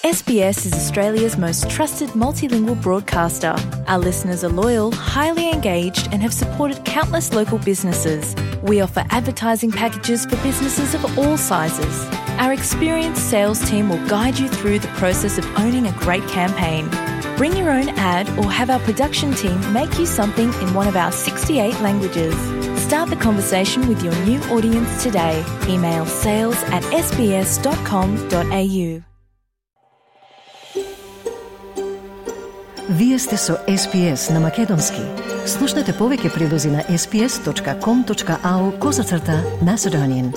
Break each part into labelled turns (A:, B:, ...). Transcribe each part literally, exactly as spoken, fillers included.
A: S B S is Australia's most trusted multilingual broadcaster. Our listeners are loyal, highly engaged, and have supported countless local businesses. We offer advertising packages for businesses of all sizes. Our experienced sales team will guide you through the process of owning a great campaign. Bring your own ad or have our production team make you something in one of our sixty-eight languages. Start the conversation with your new audience today. Email sales at s b s dot com dot a u.
B: Вие сте со Ес Би Ес на Македонски. Слушнете повеќе прилози на ес би ес точка ком точка а у козацрта Macedonian.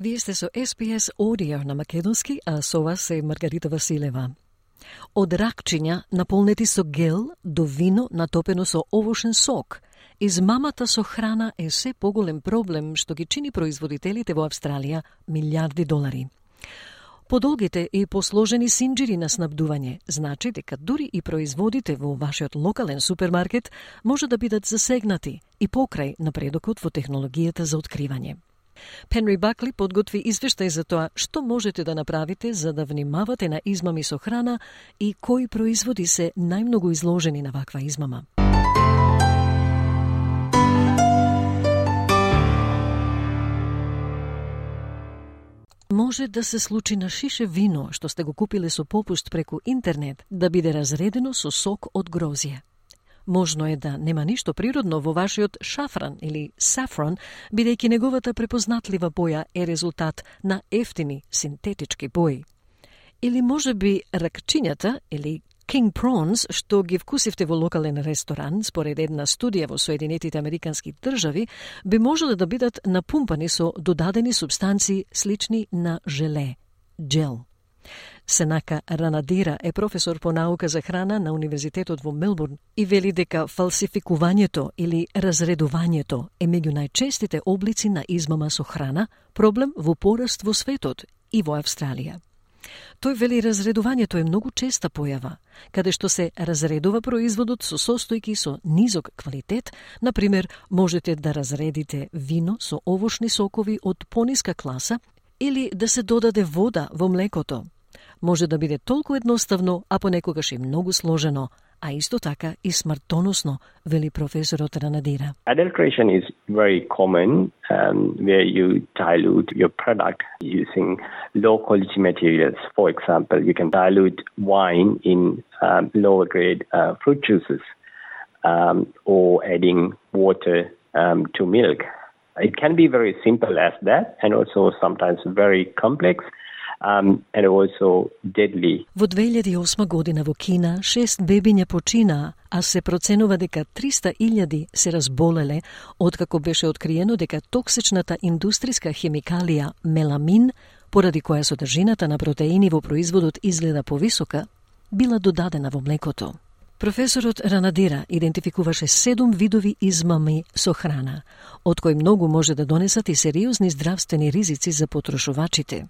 B: Вие сте со Ес Би Ес Audio на Македонски, а со вас е Маргарита Василева. Од ракчиња наполнети со гел до вино натопено со овошен сок, измамата со храна е се поголем проблем што ги чини производителите во Австралија милиарди долари. Подолгите и посложени синџири на снабдување значи дека дури и производите во вашиот локален супермаркет може да бидат засегнати и покрај напредокот во технологијата за откривање. Пенри Бакли подготви извештај за тоа што можете да направите за да внимавате на измами со храна и кои производи се најмногу изложени на ваква измама. Може да се случи на шише вино што сте го купиле со попуст преку интернет да биде разредено со сок од грозје. Можно е да нема ништо природно во вашиот шафран или сафрон, бидејќи неговата препознатлива боја е резултат на ефтини синтетички бои. Или може би ракчињата или king prawns што ги вкусивте во локален ресторан, според една студија во Соединетите Американски држави, би можеле да бидат напумпани со додадени субстанции слични на желе, джел. Сенака Ранадира е професор по наука за храна на Универзитетот во Мелбурн и вели дека фалсификувањето или разредувањето е меѓу најчестите облици на измама со храна, проблем во пораст во светот и во Австралија. Тој вели разредувањето е многу честа појава, каде што се разредува производот со состојки со низок квалитет, например, можете да разредите вино со овошни сокови од пониска класа или да се додаде вода во млекото. Може да биде толку едноставно, а понекогаш и многу сложено, а исто така и смртоносно, вели професорот Ранадира.
C: Adulteration is very common um, where you dilute your product using low quality materials. For example, you can dilute wine in um, lower grade uh, fruit juices um, or adding water um, to milk. It can be very simple as that and also sometimes very complex. Um, and also deadly.
B: Во две илјади и осма година во Кина шест бебиња починаа, а се проценува дека триста илјади се разболеле откако беше откриено дека токсичната индустријска хемикалија меламин, поради која содржината на протеини во производот изгледа повисока, била додадена во млекото. Професорот Ранадира идентификуваше седум видови измами со храна, од кои многу може да донесат и сериозни здравствени ризици за потрошувачите.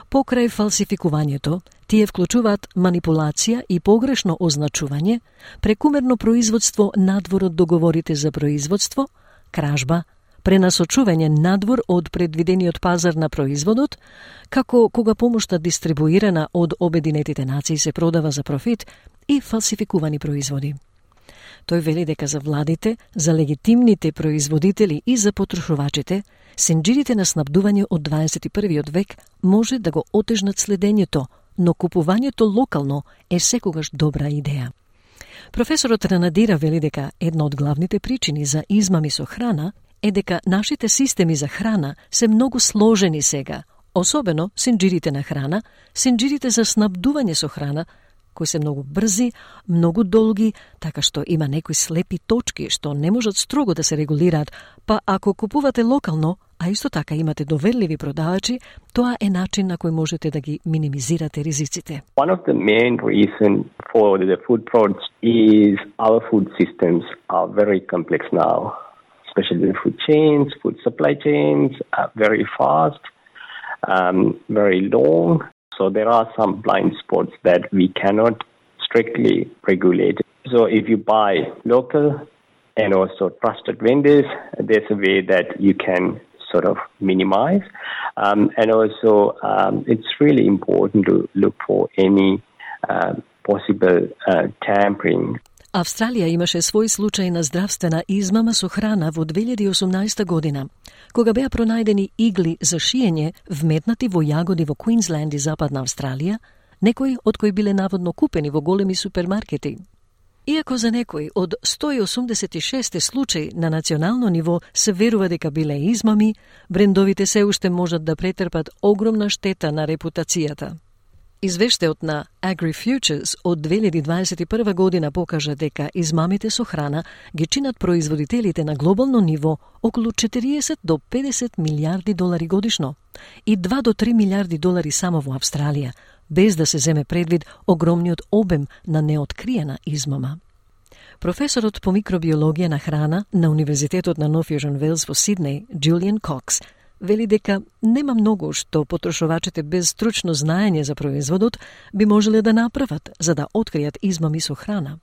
B: Покрај фалсификувањето, тие вклучуваат манипулација и погрешно означување, прекумерно производство надвор од договорите за производство, кражба, пренасочување надвор од предвидениот пазар на производот, како кога помошта дистрибуирана од Обединетите нации се продава за профит и фалсификувани производи. Тој вели дека за владите, за легитимните производители и за потрошувачите, синџирите на снабдување од дваесет и првиот век може да го отежнат следењето, но купувањето локално е секогаш добра идеја. Професорот Ранадира вели дека една од главните причини за измами со храна е дека нашите системи за храна се многу сложени сега, особено синџирите на храна, синџирите за снабдување со храна, кои се многу брзи, многу долги, така што има некои слепи точки што не можат строго да се регулираат, па ако купувате локално, а исто така имате доверливи продавачи, тоа е начин на кој можете да ги минимизирате ризиците.
C: One of the main reasons for the food fraud is our food systems are very complex now, especially the food chains, food supply chains are very fast, um, very long. So there are some blind spots that we cannot strictly regulate. So if you buy local and also trusted vendors, there's a way that you can sort of minimize. Um, and also, um, it's really important to look for any uh, possible uh, tampering.
B: Австралија имаше свој случај на здравствена измама со храна во две илјади и осумнаесета година, кога беа пронајдени игли за шиење вметнати во јагоди во Квинсленд и Западна Австралија, некои од кои биле наводно купени во големи супермаркети. Иако за некои од сто и осумдесет и шест случаи на национално ниво се верува дека биле измами, брендовите се уште можат да претрпат огромна штета на репутацијата. Извештајот на AgriFutures од две илјади дваесет и прва година покажа дека измамите со храна ги чинат производителите на глобално ниво околу четириесет до педесет милијарди долари годишно и два до три милијарди долари само во Австралија, без да се земе предвид огромниот обем на неоткриена измама. Професорот по микробиологија на храна на Универзитетот на Нов Јужен Велс во Сиднеј, Џулијан Кокс, вели дека нема многу што потрошувачите без стручно знаење за производот би можеле да направат за да откријат измами со храна.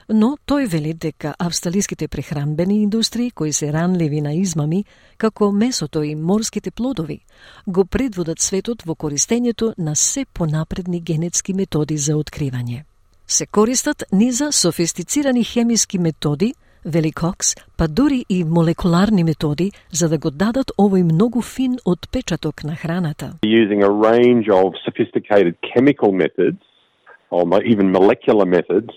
B: Но тој вели дека австралиските прехранбени индустрии кои се ранливи на измами, како месото и морските плодови, го предводат светот во користењето на се понапредни генетски методи за откривање. Се користат низа софистицирани хемиски методи, вели Кокс, па дури и молекуларни методи за да го дадат овој многу фин отпечаток на храната.
D: Using a range of sophisticated chemical methods, or even molecular methods,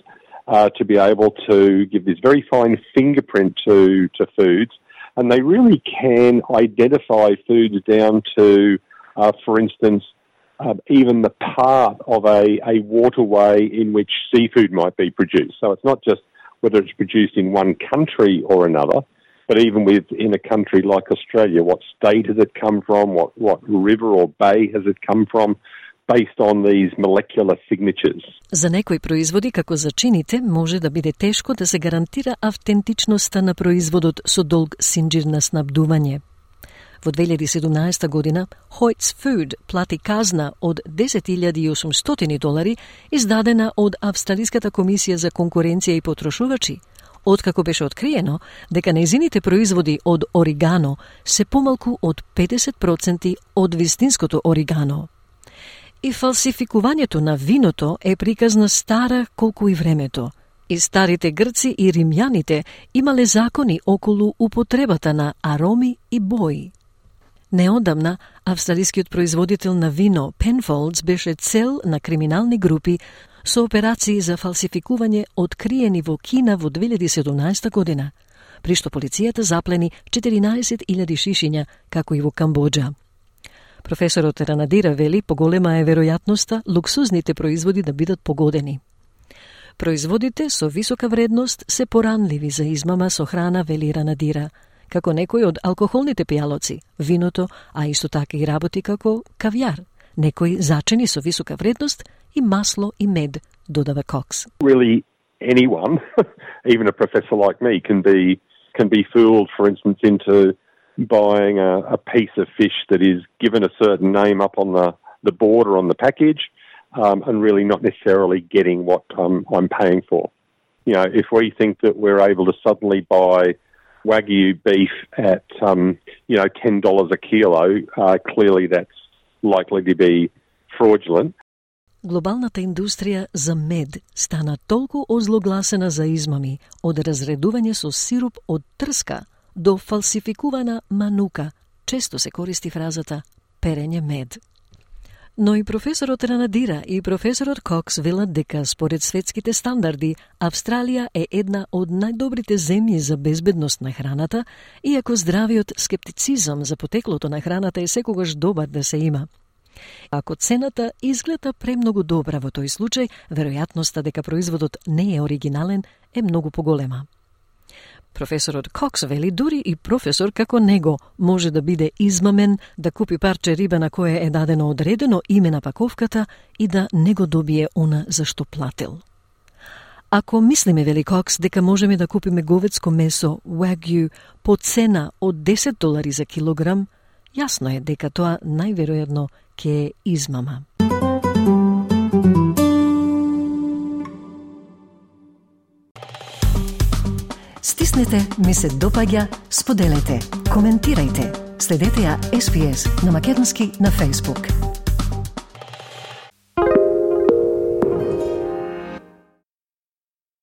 D: uh, to be able to give this very fine fingerprint to, to foods, and they really can identify foods down to, uh, for instance, uh, even the part of a, a waterway in which seafood might be produced. So it's not just whether it's produced in one country or another, but even within a country like Australia, what state has it come from, what, what river or bay has it come from, based on these molecular signatures.
B: За некои производи, како за чините, може да биде тешко да се гарантира автентичноста на производот со долг синџир на снабдување. Во две илјади и седумнаесета година, Hoyts Food плати казна од десет илјади и осумстотини долари, издадена од Австралиската комисија за конкуренција и потрошувачи, откако беше откриено дека нејзините производи од оригано се помалку од педесет проценти од вистинското оригано. И фалсификувањето на виното е приказна стара колку и времето. И старите грци и римјаните имале закони околу употребата на ароми и бои. Неодамна, австралискиот производител на вино Penfolds беше цел на криминални групи со операции за фалсификување откриени во Кина во две илјади и седумнаесета година, при што полицијата заплени четиринаесет илјади шишиња, како и во Камбоџа. Професорот Ранадира вели поголема е веројатноста луксузните производи да бидат погодени. Производите со висока вредност се поранливи за измама со храна, вели Ранадира, како некои од алкохолните пијалоци, виното, а исто така и работи како кавијар, некои зачини со висока вредност и масло и мед, додава Кокс.
D: Really anyone, even a professor like me, can be can be fooled, for instance, into buying a, a piece of fish that is given a certain name up on the, the border on the package, um, and really not necessarily getting what um, I'm paying for. You know, if we think that we're able to suddenly buy Wagyu beef at, um, you know, ten dollars a kilo, uh, clearly that's likely to be fraudulent.
B: Глобалната индустрија за мед стана толку озлогласена за измами, од разредување со сируп од трска до фалсификувана манука. Често се користи фразата перење мед. Но и професорот Ранадира и професорот Кокс велат дека според светските стандарди Австралија е една од најдобрите земји за безбедност на храната, иако здравиот скептицизам за потеклото на храната е секогаш добар да се има. Ако цената изгледа премногу добра во тој случај, веројатноста дека производот не е оригинален е многу поголема. Професорот Кокс вели дури и професор како него може да биде измамен, да купи парче риба на кое е дадено одредено име на паковката и да не го добие она за што платил. Ако мислиме, вели Кокс, дека можеме да купиме говедско месо Wagyu по цена од десет долари за килограм, јасно е дека тоа најверојатно ќе е измама. Стиснете, ми се допаѓа, споделете, коментирајте. Следете ја Ес Би Ес на македонски на Facebook.